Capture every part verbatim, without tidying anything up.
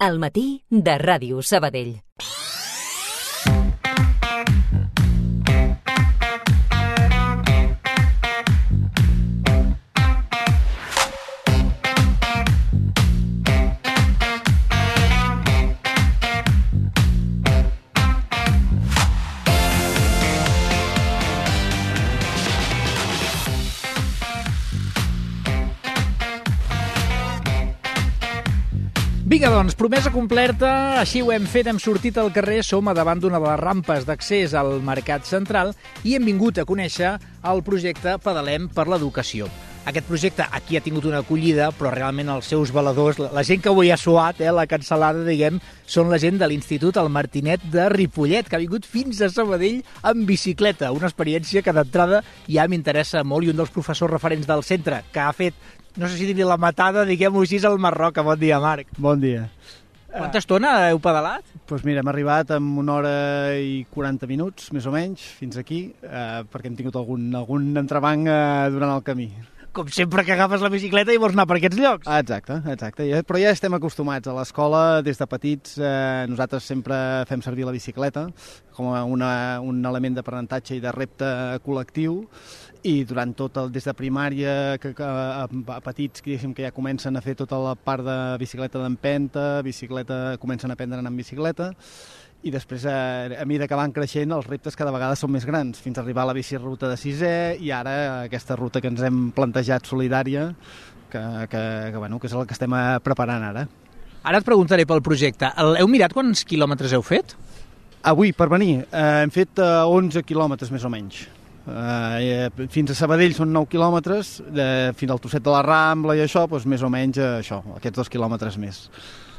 Al matí de Ràdio Sabadell. Vinga, doncs, promesa completa, així ho hem fet, hem sortit al carrer, som a davant d'una de les rampes d'accés al Mercat Central i hem vingut a conèixer el projecte Pedalem per l'Educació. Aquest projecte aquí ha tingut una acollida, però realment els seus valedors, la gent que avui ha suat, eh, la cancel·lada, diguem, són la gent de l'Institut El Martinet de Ripollet, que ha vingut fins a Sabadell en bicicleta, una experiència que d'entrada ja m'interessa molt, i un dels professors referents del centre que ha fet, no sé si dir la matada, diguem-ho així, al Marroc. Bon dia, Marc. Bon dia. Quanta estona heu pedalat? Doncs pues mira, hem arribat en una hora i quaranta minuts, més o menys, fins aquí, eh, perquè hem tingut algun, algun entrebanc eh, durant el camí. Com sempre que agafes la bicicleta i vols anar per aquests llocs. Exacte, exacte. Ja, però ja estem acostumats. A l'escola, des de petits, eh, nosaltres sempre fem servir la bicicleta com a una, un element d'aprenentatge i de repte col·lectiu, i durant tot el, des de primària, que, que a, a petits que, que ja comencen a fer tota la part de bicicleta d'empenta, bicicleta, comencen a aprendre a anar en bicicleta, i després, a, a mesura que van creixent, els reptes cada vegada són més grans, fins a arribar a la biciruta de sisè, i ara aquesta ruta que ens hem plantejat solidària, que, que, que, bueno, que és el que estem preparant ara. Ara et preguntaré pel projecte. Heu mirat quants quilòmetres heu fet? Avui, per venir, eh, hem fet eh, onze quilòmetres més o menys. Uh, fins a Sabadell són nou quilòmetres, uh, fins al Trosset de la Rambla i això, doncs més o menys uh, això, aquests dos quilòmetres més.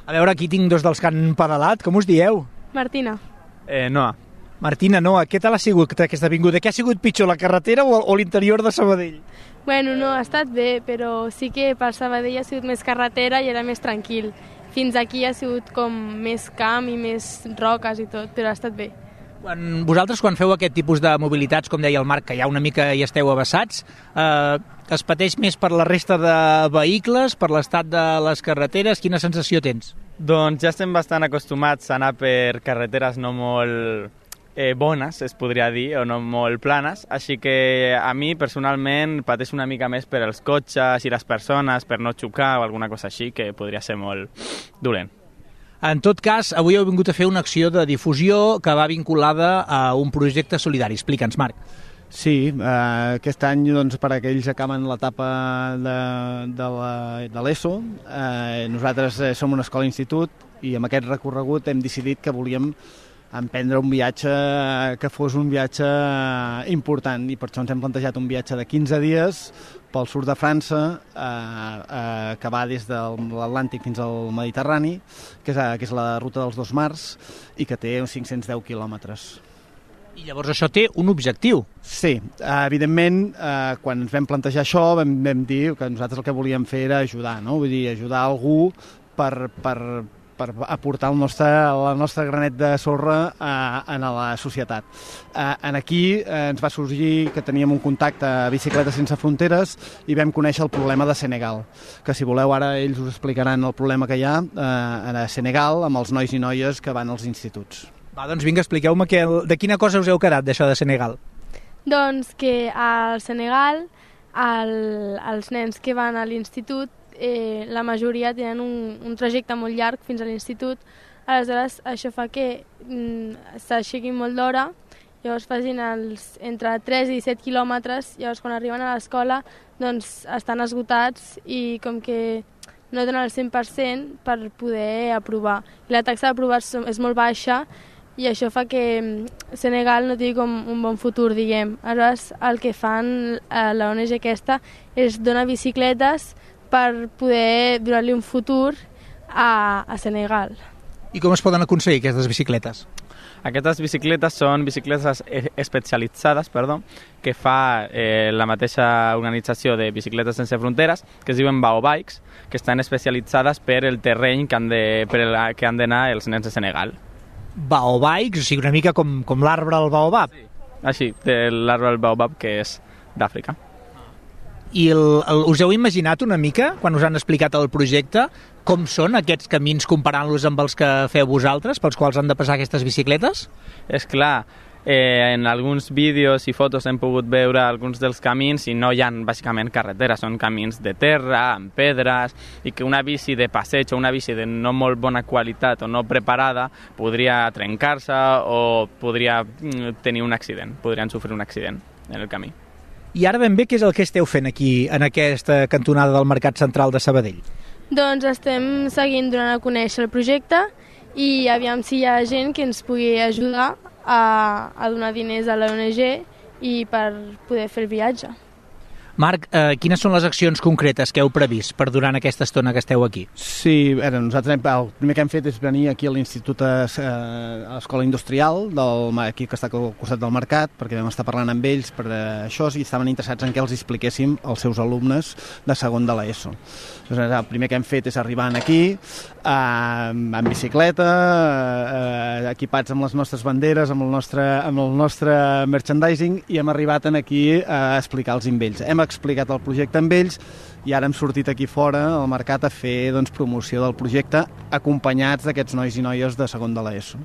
A veure, aquí tinc dos dels que han pedalat. Com us dieu? Martina. Eh, Noa. Martina, Noa, què tal ha sigut aquesta vinguda? Què ha sigut pitjor, la carretera o, o l'interior de Sabadell? Bueno, no, ha estat bé, però sí que per Sabadell ha sigut més carretera i era més tranquil. Fins aquí ha sigut com més camp i més roques i tot, però ha estat bé. Quan, vosaltres, quan feu aquest tipus de mobilitats, com deia el Marc, que ja una mica hi esteu avessats, eh, es pateix més per la resta de vehicles, per l'estat de les carreteres? Quina sensació tens? Doncs ja estem bastant acostumats a anar per carreteres no molt eh, bones, es podria dir, o no molt planes, així que a mi personalment pateix una mica més per els cotxes i les persones, per no xocar o alguna cosa així, que podria ser molt dolent. En tot cas, avui heu vingut a fer una acció de difusió que va vinculada a un projecte solidari. Explica'ns, Marc. Sí, eh, aquest any, doncs, per aquells que acaben l'etapa de, de, la, de l'ESO, eh, nosaltres eh, som una escola-institut i amb aquest recorregut hem decidit que volíem emprendre un viatge que fos un viatge important, i per això ens hem plantejat un viatge de quinze dies pel sud de França, eh, eh, que va des de l'Atlàntic fins al Mediterrani, que és, que és la ruta dels dos mars, i que té uns cinc-cents deu quilòmetres. I llavors això té un objectiu. Sí, eh, evidentment, eh, quan ens vam plantejar això, vam, vam dir que nosaltres el que volíem fer era ajudar, no? Vull dir, ajudar algú per, per, per aportar el nostre, el nostre granet de sorra a, a la societat. Eh, en aquí eh, ens va sorgir que teníem un contacte a Bicicletes Sense Fronteres i vam conèixer el problema de Senegal, que si voleu ara ells us explicaran el problema que hi ha eh, a Senegal amb els nois i noies que van als instituts. Va, doncs vinga, expliqueu-me que, de quina cosa us heu quedat d'això de Senegal. Doncs que al Senegal el, els nens que van a l'institut Eh, la majoria tenen un, un trajecte molt llarg fins a l'institut, aleshores això fa que mm, s'aixequin molt d'hora, llavors facin els, entre tres i set quilòmetres, llavors quan arriben a l'escola doncs estan esgotats i com que no donen el cent per cent per poder aprovar. I la taxa d'aprovar és molt baixa i això fa que Senegal no tingui com un bon futur, diguem. Aleshores el que fan a la O N G aquesta és donar bicicletes per poder donar-li un futur a, a Senegal. I com es poden aconseguir aquestes bicicletes? Aquestes bicicletes són bicicletes especialitzades, perdó, que fa eh, la mateixa organització de Bicicletes Sense Fronteres, que es diuen Baobikes, que estan especialitzades per el terreny que han de, per el, que han d'anar els nens de Senegal. Baobikes, o sigui, una mica com, com l'arbre al baobab. Sí. Així, l'arbre del baobab, que és d'Àfrica. I el, el, us heu imaginat una mica, quan us han explicat el projecte, com són aquests camins comparant-los amb els que feu vosaltres, pels quals han de passar aquestes bicicletes? És clar, eh, en alguns vídeos i fotos hem pogut veure alguns dels camins i no hi ha bàsicament carreteres, són camins de terra, amb pedres, i que una bici de passeig o una bici de no molt bona qualitat o no preparada podria trencar-se o podria tenir un accident, podrien sofrir un accident en el camí. I ara ben bé, què és el que esteu fent aquí, en aquesta cantonada del Mercat Central de Sabadell? Doncs estem seguint donant a conèixer el projecte i aviam si hi ha gent que ens pugui ajudar a, a donar diners a l'O N G i per poder fer el viatge. Marc, eh, quines són les accions concretes que heu previst per durant aquesta estona que esteu aquí? Sí, a veure, nosaltres hem, el primer que hem fet és venir aquí a l'Institut, a l'Escola Industrial, del, aquí que està al costat del mercat, perquè vam estar parlant amb ells per això i estaven interessats en què els expliquéssim als seus alumnes de segon de l'ESO. Llavors, el primer que hem fet és arribar aquí, eh, en bicicleta, eh, equipats amb les nostres banderes, amb el nostre, amb el nostre merchandising, i hem arribat aquí a explicar-los amb ells. Hem explicat el projecte amb ells i ara hem sortit aquí fora al mercat a fer doncs, promoció del projecte acompanyats d'aquests nois i noies de segon de l'ESO.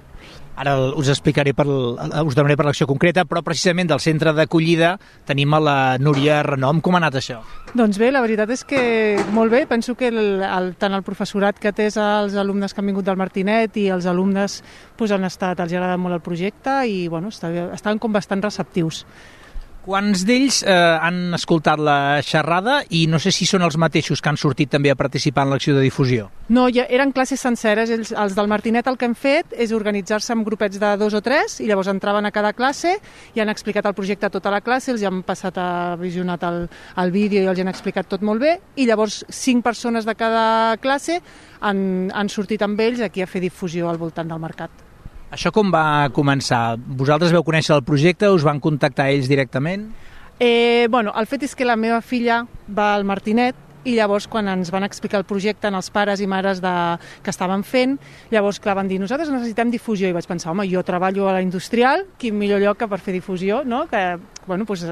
Ara us explicaré, per, us donaré per l'acció concreta, però precisament del centre d'acollida tenim a la Núria Renom. Com ha anat això? Doncs bé, la veritat és que molt bé. Penso que el, el, tant el professorat que té els alumnes que han vingut del Martinet i els alumnes pues, han estat, els ha agradat molt el projecte i bueno, estaven com bastant receptius. Quants d'ells eh, han escoltat la xerrada i no sé si són els mateixos que han sortit també a participar en l'acció de difusió? No, ja eren classes senceres. Els, els del Martinet el que han fet és organitzar-se en grupets de dos o tres i llavors entraven a cada classe i han explicat el projecte a tota la classe, els han passat a visionat el, el vídeo i els han explicat tot molt bé i llavors cinc persones de cada classe han, han sortit amb ells aquí a fer difusió al voltant del mercat. Això com va començar? Vosaltres veu conèixer el projecte? Us van contactar ells directament? Eh, bueno, el fet és que la meva filla va al Martinet i llavors quan ens van explicar el projecte als pares i mares de, que estaven fent, llavors clar, van dir, nosaltres necessitem difusió, i vaig pensar, home, jo treballo a la industrial, quin millor lloc que per fer difusió, no? Que, bueno, doncs,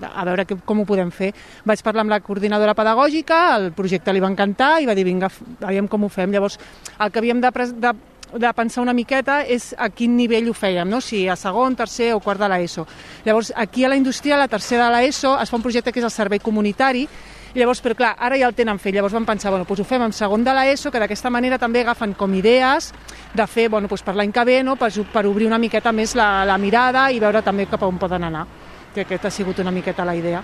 a veure que, com ho podem fer. Vaig parlar amb la coordinadora pedagògica, el projecte li va encantar i va dir, vinga, veiem com ho fem. Llavors, el que havíem de, de de pensar una miqueta és a quin nivell ho fèiem, no? Si a segon, tercer o quart de l'ESO. Llavors, aquí a la industrial, a la tercera de l'ESO, es fa un projecte que és el servei comunitari, i llavors, però clar, ara ja el tenen fet, llavors vam pensar, bueno, doncs ho fem en segon de l'ESO, que d'aquesta manera també agafen com idees de fer, bueno, doncs per l'any que ve, no? per, per obrir una miqueta més la, la mirada i veure també cap a on poden anar, que aquesta ha sigut una miqueta la idea.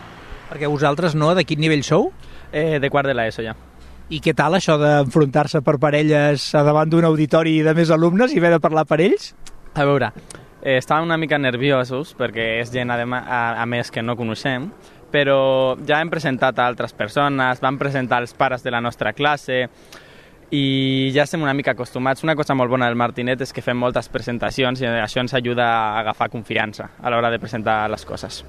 Perquè vosaltres no, de quin nivell sou? Eh, de quart de l'ESO ja. I què tal això d'enfrontar-se per parelles davant d'un auditori de més alumnes i haver de parlar per ells? A veure, eh, estàvem una mica nerviosos perquè és gent, a, a, a més, que no coneixem, però ja hem presentat a altres persones, vam presentar els pares de la nostra classe i ja estem una mica acostumats. Una cosa molt bona del Martinet és que fem moltes presentacions i això ens ajuda a agafar confiança a l'hora de presentar les coses.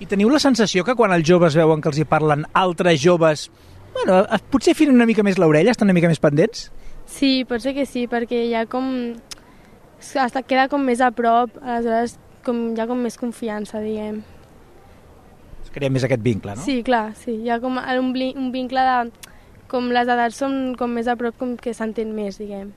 I teniu la sensació que quan els joves veuen que els hi parlen altres joves, bueno, potser filen una mica més l'orella, estan una mica més pendents? Sí, pot ser que sí, perquè ja com... hasta queda com més a prop, aleshores com, hi ha com més confiança, diguem. Es crea més aquest vincle, no? Sí, clar, sí. Hi ha com un, un vincle de... com les edats són com més a prop, com que s'entén més, diguem.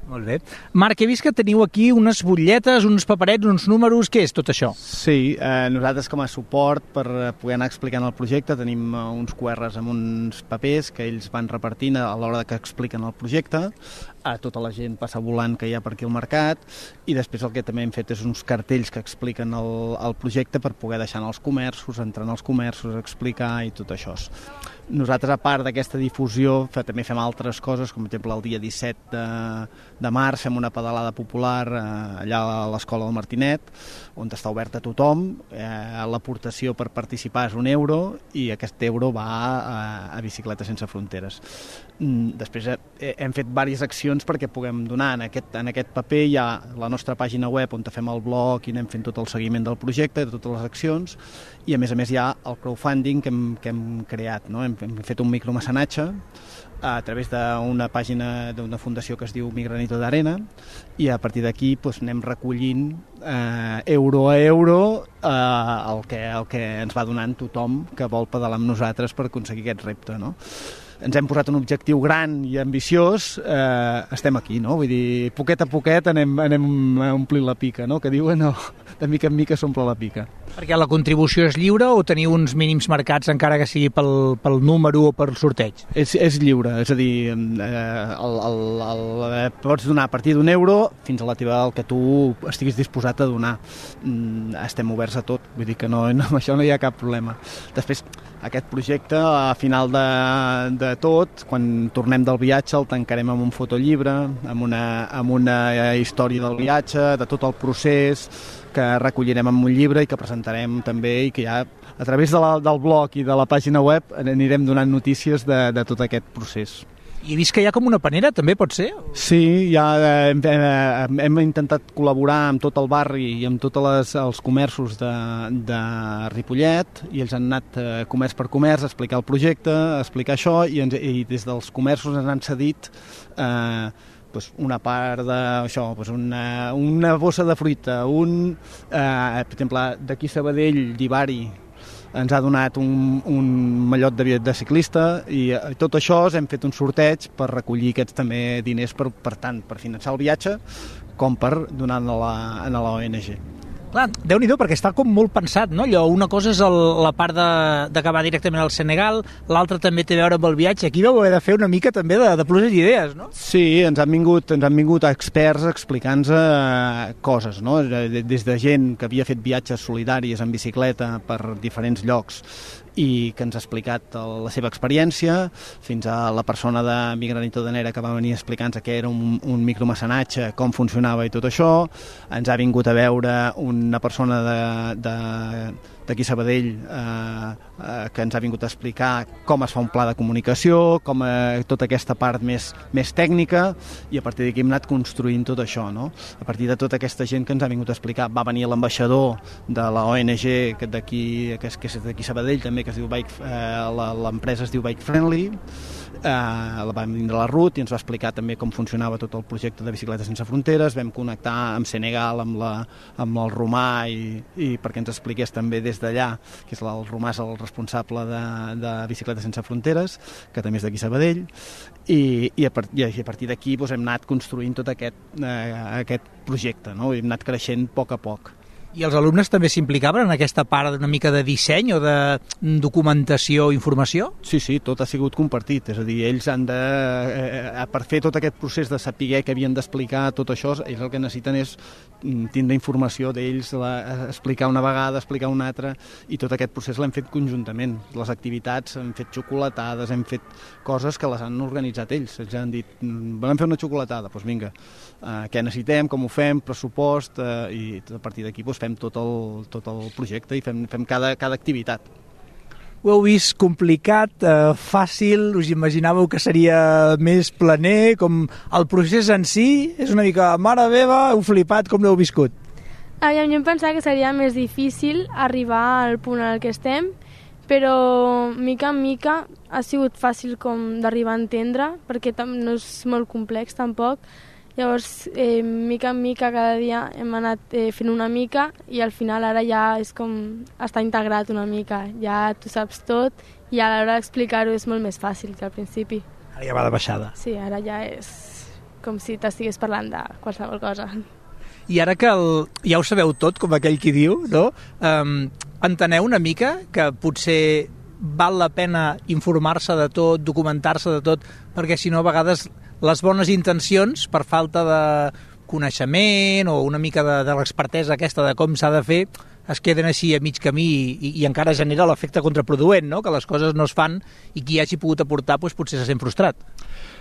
Molt bé. Marc, he vist que teniu aquí unes butlletes, uns paperets, uns números. Què és tot això? Sí, eh, nosaltres com a suport per poder anar explicant el projecte tenim eh, uns Q Rs amb uns papers que ells van repartint a l'hora que expliquen el projecte. A tota la gent passa volant que hi ha per aquí al mercat i després el que també hem fet és uns cartells que expliquen el, el projecte per poder deixar en els comerços, entrar en els comerços, explicar i tot això. Nosaltres, a part d'aquesta difusió, també fem altres coses, com per exemple el dia disset de, de març fem una pedalada popular eh, allà a l'Escola del Martinet, on està oberta a tothom. Eh, l'aportació per participar és un euro i aquest euro va a, a Bicicletes Sense Fronteres. Després eh, hem fet diverses accions perquè puguem donar. En aquest, en aquest paper hi ha la nostra pàgina web on fem el blog i anem fent tot el seguiment del projecte, de totes les accions, i a més a més hi ha el crowdfunding que hem, que hem creat, no? Hem, hem fet un micromecenatge a través d'una pàgina d'una fundació que es diu Mi Granito de Arena, i a partir d'aquí doncs, anem recollint eh, euro a euro eh, el, que, el que ens va donant tothom que vol pedalar amb nosaltres per aconseguir aquest repte, no? Ens hem posat un objectiu gran i ambiciós, eh, estem aquí, no? Vull dir, poquet a poquet anem, anem a omplir la pica, no? Que diuen, no, de mica en mica s'omple la pica. Perquè la contribució és lliure o teniu uns mínims marcats encara que sigui pel, pel número o per sorteig? És, és lliure, és a dir, eh, el, el, el, pots donar a partir d'un euro fins a la teva, el que tu estiguis disposat a donar. Mm, estem oberts a tot, vull dir que no, no, amb això no hi ha cap problema. Després, aquest projecte, a final de, de tot, quan tornem del viatge, el tancarem amb un fotollibre, amb una, amb una història del viatge, de tot el procés, que recollirem en un llibre i que presentarem també, i que ja a través de la, del blog i de la pàgina web anirem donant notícies de, de tot aquest procés. I he vist que hi ha com una panera, també pot ser? Sí, ja hem, hem, hem intentat col·laborar amb tot el barri i amb tots les, els comerços de, de Ripollet, i ells han anat eh, comerç per comerç a explicar el projecte, a explicar això, i, ens, i des dels comerços ens han cedit eh, pues una part de això, pues una, una bossa de fruita, un, eh, per exemple, d'aquí Sabadell, d'Ivari, ens ha donat un, un mallot de, de ciclista, i eh, tot això hem fet un sorteig per recollir aquests també diners per, per tant, per finançar el viatge com per donar a la, a la O N G. Clar, Déu-n'hi-do, perquè està com molt pensat, no? Allò, una cosa és el, la part d'acabar directament al Senegal, l'altra també té a veure amb el viatge. Aquí vau haver de fer una mica també de, de pluses i idees, no? Sí, ens han vingut, ens han vingut experts explicant-nos eh, coses, no? Des de gent que havia fet viatges solidaris en bicicleta per diferents llocs i que ens ha explicat la seva experiència, fins a la persona de Mi Granito de Arena que va venir explicant-nos què era un, un micromecenatge, com funcionava i tot això. Ens ha vingut a veure una persona de, de, d'aquí a Sabadell eh, eh, que ens ha vingut a explicar com es fa un pla de comunicació, com eh, tota aquesta part més, més tècnica, i a partir d'aquí hem anat construint tot això, no? A partir de tota aquesta gent que ens ha vingut a explicar, va venir l'ambaixador de la O N G d'aquí, que és, que és d'aquí a Sabadell també, que es diu Bike, eh, l'empresa es diu Bike Friendly, eh, la va vindre la Ruth i ens va explicar també com funcionava tot el projecte de Bicicletes Sense Fronteres. Vam connectar amb Senegal, amb, la, amb el romà, i, i perquè ens expliqués també des d'allà, que és el romà, és el responsable de, de Bicicletes Sense Fronteres, que també és d'aquí a Sabadell, i, i, a, i a partir d'aquí doncs, hem anat construint tot aquest, eh, aquest projecte, no? Hem anat creixent a poc a poc. I els alumnes també s'implicaven en aquesta part una mica de disseny o de documentació o informació? Sí, sí, tot ha sigut compartit, és a dir, ells han de, eh, per fer tot aquest procés de saber que havien d'explicar tot això, ells el que necessiten és tindre informació d'ells, explicar una vegada, explicar una altra, i tot aquest procés l'hem fet conjuntament. Les activitats, hem fet xocolatades, hem fet coses que les han organitzat ells. Ells han dit, volem fer una xocolatada, doncs vinga, eh, què necessitem, com ho fem, pressupost, eh, i a partir d'aquí doncs, fem tot el, tot el projecte i fem, fem cada, cada activitat. Ho heu vist complicat, eh, fàcil, us imaginàveu que seria més planer, com el procés en si és una mica, mare meva, heu flipat, com l'heu viscut? Aviam, jo em pensava que seria més difícil arribar al punt al que estem, però mica en mica ha sigut fàcil com d'arribar a entendre, perquè no és molt complex tampoc. Llavors, eh, mica en mica, cada dia hem anat eh, fent una mica, i al final ara ja és com està integrat una mica. Ja tu saps tot i a l'hora d'explicar-ho és molt més fàcil que al principi. Ara ja va de baixada. Sí, ara ja és com si t'estigués parlant de qualsevol cosa. I ara que el, ja ho sabeu tot, com aquell qui diu, no? Um, enteneu una mica que potser val la pena informar-se de tot, documentar-se de tot, perquè si no a vegades les bones intencions, per falta de coneixement o una mica de, de l'expertesa aquesta de com s'ha de fer, es queden així a mig camí i, i encara genera l'efecte contraproduent, no? Que les coses no es fan i qui hagi pogut aportar doncs, potser se sent frustrat.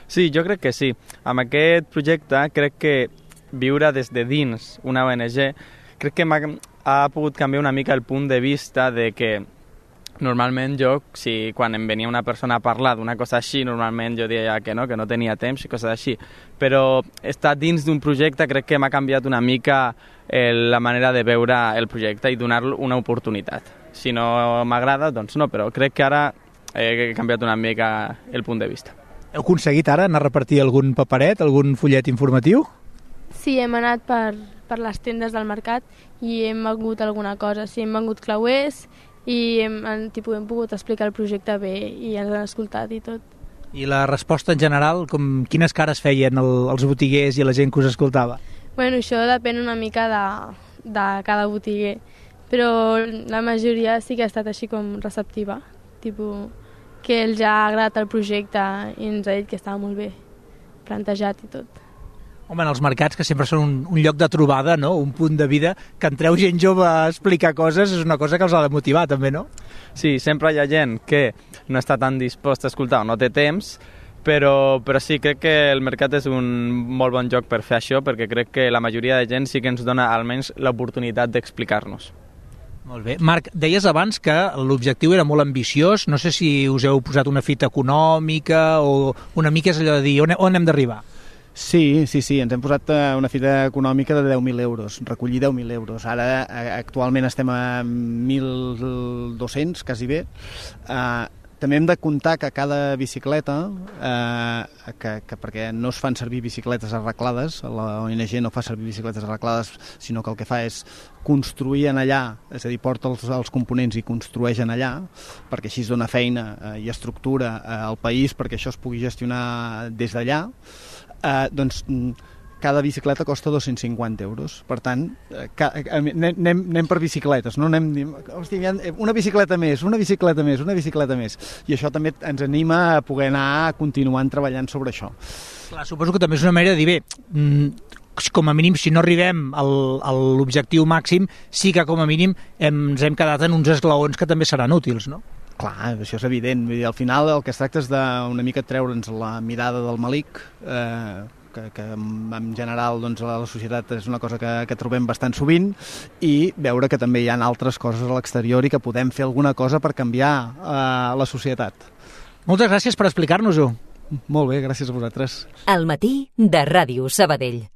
Sí, jo crec que sí. Amb aquest projecte crec que viure des de dins una O N G crec que ha pogut canviar una mica el punt de vista de que normalment jo, si quan em venia una persona a parlar d'una cosa així, normalment jo deia que no, que no tenia temps i coses així. Però estar dins d'un projecte crec que m'ha canviat una mica eh, la manera de veure el projecte i donar-lo una oportunitat. Si no m'agrada, doncs no, però crec que ara he canviat una mica el punt de vista. Heu aconseguit ara anar a repartir algun paperet, algun fullet informatiu? Sí, hem anat per, per les tendes del mercat i hem vengut alguna cosa. Sí, hem vengut clauers i hem, en, tipus, hem pogut explicar el projecte bé i ens han escoltat i tot. I la resposta en general, com, quines cares feien el, els botiguers i la gent que us escoltava? Bueno, això depèn una mica de, de cada botiguer, però la majoria sí que ha estat així com receptiva, tipus, que els ha agradat el projecte i ens ha dit que estava molt bé plantejat i tot. Home, en els mercats, que sempre són un, un lloc de trobada, no? Un punt de vida, que entreu gent jove a explicar coses, és una cosa que els ha de motivar, també, no? Sí, sempre hi ha gent que no està tan disposta a escoltar o no té temps, però, però sí, crec que el mercat és un molt bon lloc per fer això, perquè crec que la majoria de gent sí que ens dona almenys l'oportunitat d'explicar-nos. Molt bé. Marc, deies abans que l'objectiu era molt ambiciós, no sé si us heu posat una fita econòmica o una mica és allò de dir on, on hem d'arribar? Sí, sí, sí, ens hem posat una fita econòmica de deu mil euros, recollir deu mil euros. Ara, actualment estem a mil dos-cents, quasi bé. Uh, també hem de comptar que cada bicicleta, uh, que, que perquè no es fan servir bicicletes arreglades, la O N G no fa servir bicicletes arreglades, sinó que el que fa és construir en allà, és a dir, porta els, els components i construeix en allà, perquè així es dona feina uh, i estructura uh, al país perquè això es pugui gestionar des d'allà. Uh, doncs cada bicicleta costa dos-cents cinquanta euros. Per tant, uh, ca, anem, anem per bicicletes, no anem dient, hòstia, una bicicleta més, una bicicleta més, una bicicleta més. I això també ens anima a poder anar continuant treballant sobre això. Clar, suposo que també és una manera de dir, bé, com a mínim, si no arribem al, a l'objectiu màxim, sí que com a mínim hem, ens hem quedat en uns esglaons que també seran útils, no? Clar, això és evident. Vull dir, al final el que es tracta és d'una mica treure'ns la mirada del malic, eh, que, que en general doncs, a la societat és una cosa que, que trobem bastant sovint, i veure que també hi ha altres coses a l'exterior i que podem fer alguna cosa per canviar eh, la societat. Moltes gràcies per explicar-nos-ho. Molt bé, gràcies a vosaltres. Al matí de Ràdio Sabadell.